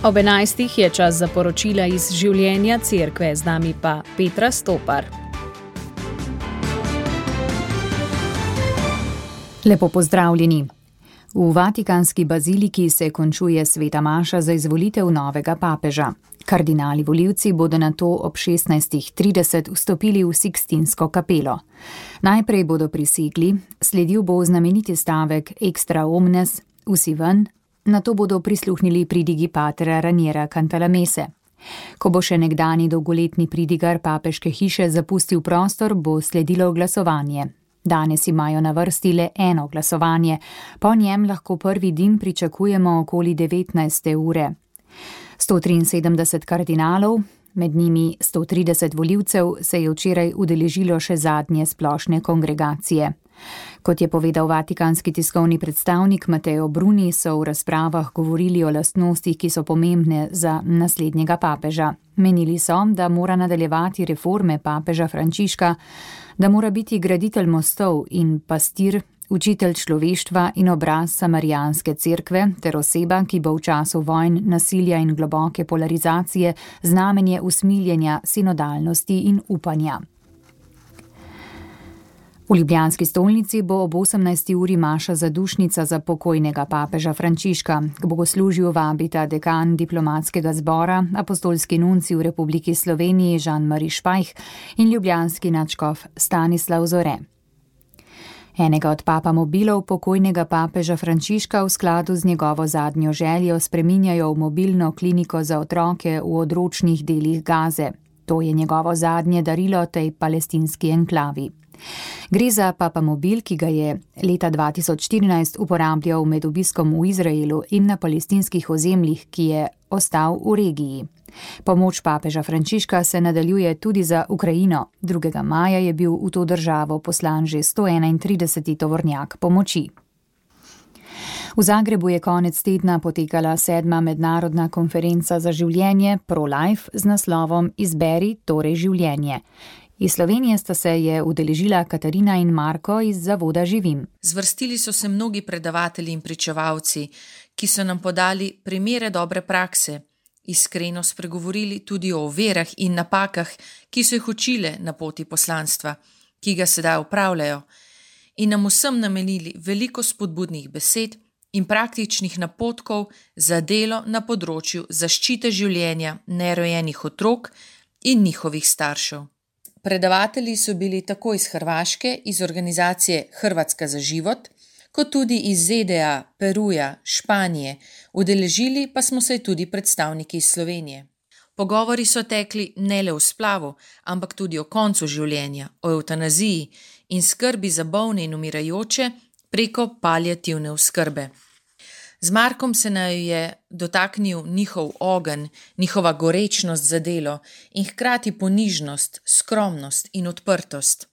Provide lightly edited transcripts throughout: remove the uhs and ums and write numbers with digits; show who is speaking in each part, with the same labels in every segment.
Speaker 1: Ob 11. je čas za poročila iz življenja cerkve, z nami pa Petra Stopar. Lepo pozdravljeni. V Vatikanski baziliki se končuje sveta maša za izvolitev novega papeža. Kardinali volivci bodo nato ob 16:30 vstopili v Sikstinsko kapelo. Najprej bodo prisegli, sledil bo znameniti stavek Extra omnes, vsi ven, nato bodo prisluhnili pridigi patera Raniera Cantalamesse. Ko bo še nekdani dolgoletni pridigar papeške hiše zapustil prostor, bo sledilo glasovanje. Danes imajo na vrsti le eno glasovanje, po njem lahko prvi dim pričakujemo okoli 19. ure. 173 kardinalov, med njimi 130 volivcev, se je včeraj udeležilo še zadnje splošne kongregacije. Kot je povedal vatikanski tiskovni predstavnik Matteo Bruni, so v razpravah govorili o lastnostih, ki so pomembne za naslednjega papeža. Menili so, da mora nadaljevati reforme papeža Frančiška, da mora biti graditelj mostov in pastir, učitelj človeštva in obraz samarijanske cerkve ter oseba, ki bo v času vojn, nasilja in globoke polarizacije znamenje usmiljenja, sinodalnosti in upanja. V ljubljanski stolnici bo ob 18. uri maša zadušnica za pokojnega papeža Frančiška. K bogoslužju vabita dekan diplomatskega zbora, apostolski nuncij v Republiki Sloveniji Jean-Marie Špajh in ljubljanski nadškof Stanislav Zore. Enega od papamobilov pokojnega papeža Frančiška v skladu z njegovo zadnjo željo spreminjajo v mobilno kliniko za otroke v odročnih delih Gaze. To je njegovo zadnje darilo tej palestinski enklavi. Gre za papamobil, ki ga je leta 2014 uporabljal med obiskom v Izraelu in na palestinskih ozemljih, ki je ostal v regiji. Pomoč papeža Frančiška se nadaljuje tudi za Ukrajino. 2. maja je bil v to državo poslan že 131. tovornjak pomoči. V Zagrebu je konec tedna potekala 7. mednarodna konferenca za življenje Pro-Life z naslovom Izberi torej življenje. Iz Slovenije sta se je udeležila Katarina in Marko iz Zavoda Živim.
Speaker 2: Zvrstili so se mnogi predavatelji in pričevalci, ki so nam podali primere dobre prakse, iskreno spregovorili tudi o verah in napakah, ki so jih učile na poti poslanstva, ki ga sedaj upravljajo, in nam vsem namenili veliko spodbudnih besed in praktičnih napotkov za delo na področju zaščite življenja nerojenih otrok in njihovih staršev. Predavatelji so bili tako iz Hrvaške, iz organizacije Hrvatska za život, kot tudi iz ZDA, Peruja, Španije, udeležili pa smo se tudi predstavniki iz Slovenije. Pogovori so tekli ne le o splavu, ampak tudi o koncu življenja, o evtanaziji in skrbi za bolne in umirajoče preko paliativne oskrbe. Z Markom se naju je dotaknil njihov ogenj, njihova gorečnost za delo in hkrati ponižnost, skromnost in odprtost.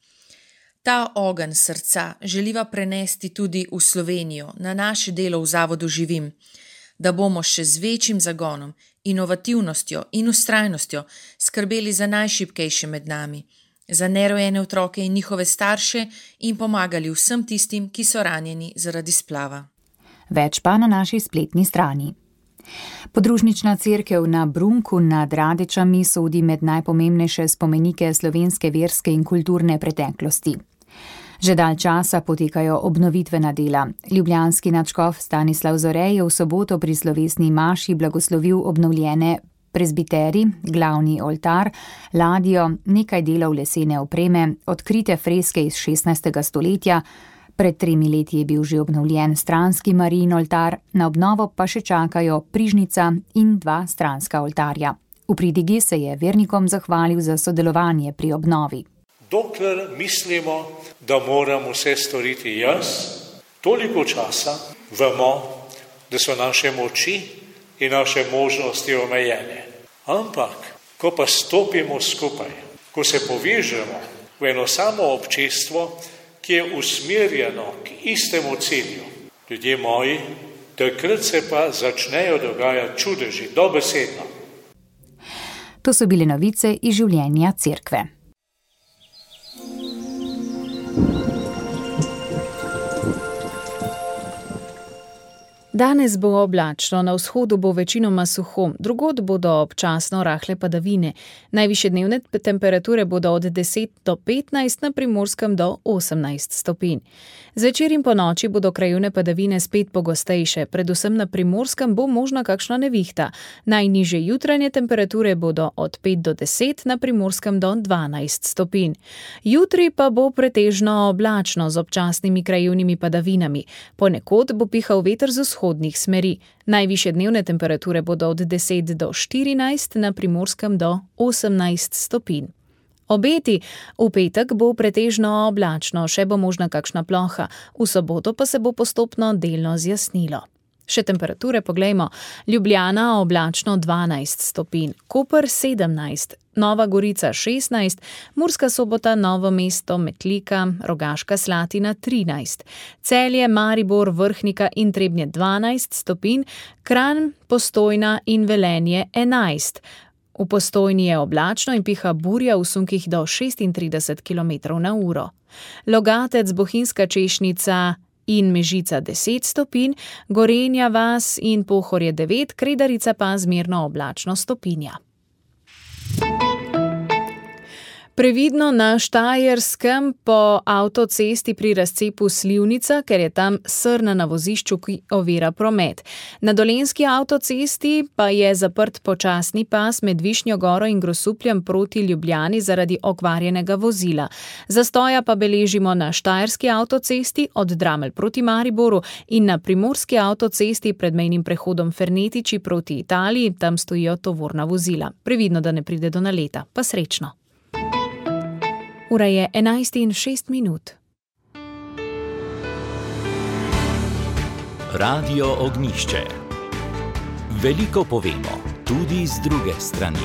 Speaker 2: Ta ogenj srca želiva prenesti tudi v Slovenijo, na naše delo v Zavodu Živim, da bomo še z večjim zagonom, inovativnostjo in vztrajnostjo skrbeli za najšibkejše med nami, za nerojene otroke in njihove starše in pomagali vsem tistim, ki so ranjeni zaradi splava.
Speaker 1: Več pa na naši spletni strani. Podružnična cerkev na Brunku nad Radečami sodi med najpomembnejše spomenike slovenske verske in kulturne preteklosti. Že dalj časa potekajo obnovitvena dela. Ljubljanski nadškof Stanislav Zore je v soboto pri slovesni maši blagoslovil obnovljene prezbiteri, glavni oltar, ladjo, nekaj delov lesene opreme, odkrite freske iz 16. stoletja. Pred 3 leti je bil že obnovljen stranski Marijin oltar, na obnovo pa še čakajo prižnica in 2 stranska oltarja. V pridigi se je vernikom zahvalil za sodelovanje pri obnovi.
Speaker 3: Dokler mislimo, da moram vse storiti jaz, toliko časa vemo, da so naše moči in naše možnosti omejene. Ampak, ko pa stopimo skupaj, ko se povežemo v eno samo občestvo, ki je usmerjeno k istemu cilju, ljudje moji, takrat se pa začnejo dogajati čudeži, dobesedno.
Speaker 1: To so bile novice iz življenja cerkve.
Speaker 4: Danes bo oblačno, na vzhodu bo večinoma suho, drugod bodo občasno rahle padavine. Najvišje dnevne temperature bodo od 10 do 15, na Primorskem do 18 stopinj. Zvečer in ponoči bodo krajevne padavine spet pogostejše, predvsem na Primorskem bo možna kakšna nevihta. Najnižje jutranje temperature bodo od 5 do 10, na Primorskem do 12 stopinj. Jutri pa bo pretežno oblačno z občasnimi krajevnimi padavinami. Ponekod bo pihal veter z vzhodnih smeri. Najvišje dnevne temperature bodo od 10 do 14, na Primorskem do 18 stopinj. Obeti: v petek bo pretežno oblačno, še bo možna kakšna ploha, v soboto pa se bo postopno delno zjasnilo. Še temperature poglejmo. Ljubljana oblačno 12 stopinj, Koper 17, Nova Gorica 16, Murska Sobota, Novo mesto, Metlika, Rogaška Slatina 13, Celje, Maribor, Vrhnika in Trebnje 12 stopinj, Kranj, Postojna in Velenje 11. V Postojni je oblačno in piha burja v sunkih do 36 km/h. Logatec, Bohinjska Češnica in Mežica 10 stopinj, Gorenja vas in Pohorje 9, Kredarica pa zmerno oblačno stopinja. Previdno na Štajerskem po avtocesti pri razcepu Slivnica, ker je tam srna na vozišču, ki ovira promet. Na Dolenjski avtocesti pa je zaprt počasni pas med Višnjo Goro in Grosupljem proti Ljubljani zaradi okvarjenega vozila. Zastoja pa beležimo na Štajerski avtocesti od Dramelj proti Mariboru in na Primorski avtocesti pred mejnim prehodom Fernetiči proti Italiji, tam stojijo tovorna vozila. Previdno, da ne pride do naleta. Pa srečno. Ura je 11:06.
Speaker 5: Radio Ognjišče. Veliko povemo, tudi z druge strani.